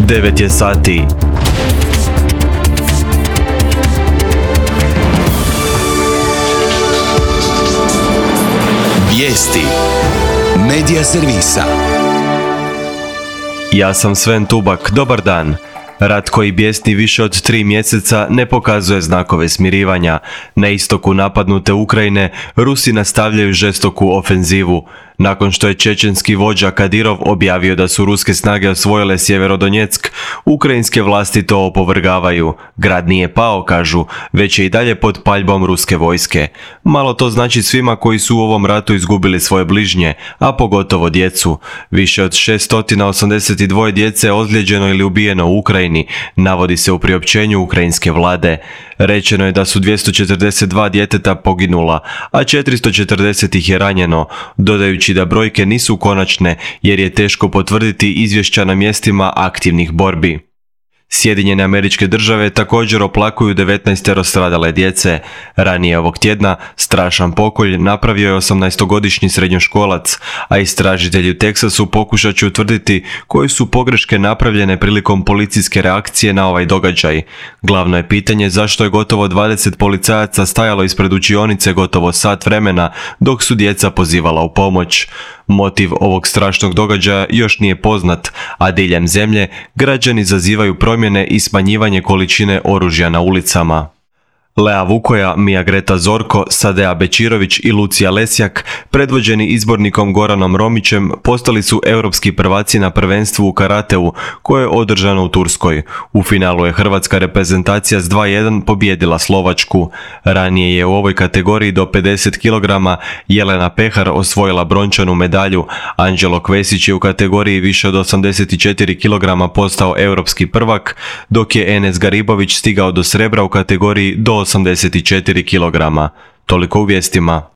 9 je sati. Vijesti Medija servisa. Ja sam Sven Tubak, dobar dan. Rat koji bijesni više od 3 mjeseca ne pokazuje znakove smirivanja. Na istoku napadnute Ukrajine Rusi nastavljaju žestoku ofenzivu. Nakon što je čečenski vođa Kadirov objavio da su ruske snage osvojile Sjeverodonjeck, ukrajinske vlasti to opovrgavaju. Grad nije pao, kažu, već je i dalje pod paljbom ruske vojske. Malo to znači svima koji su u ovom ratu izgubili svoje bližnje, a pogotovo djecu. Više od 682 djece je ozlijeđeno ili ubijeno u Ukrajini, navodi se u priopćenju ukrajinske vlade. Rečeno je da su 242 djeteta poginula, a 440 ih je ranjeno, dodajući da brojke nisu konačne jer je teško potvrditi izvješća na mjestima aktivnih borbi. Sjedinjene Američke Države također oplakuju 19 stradale djece. Ranije ovog tjedna strašan pokolj napravio je 18-godišnji srednjoškolac, a istražitelji u Teksasu pokušat će utvrditi koje su pogreške napravljene prilikom policijske reakcije na ovaj događaj. Glavno je pitanje zašto je gotovo 20 policajaca stajalo ispred učionice gotovo sat vremena dok su djeca pozivala u pomoć. Motiv ovog strašnog događaja još nije poznat, a diljem zemlje građani zazivaju promjene i smanjivanje količine oružja na ulicama. Lea Vukoja, Mija Greta Zorko, Sadea Bečirović i Lucija Lesjak, predvođeni izbornikom Goranom Romićem, postali su europski prvaci na prvenstvu u karateu koje je održano u Turskoj. U finalu je hrvatska reprezentacija s 2:1 pobijedila Slovačku. Ranije je u ovoj kategoriji do 50 kg Jelena Pehar osvojila brončanu medalju. Anđelo Kvesić je u kategoriji više od 84 kg postao europski prvak, dok je Enes Garibović stigao do srebra u kategoriji do 84 kg. Toliko u vijestima.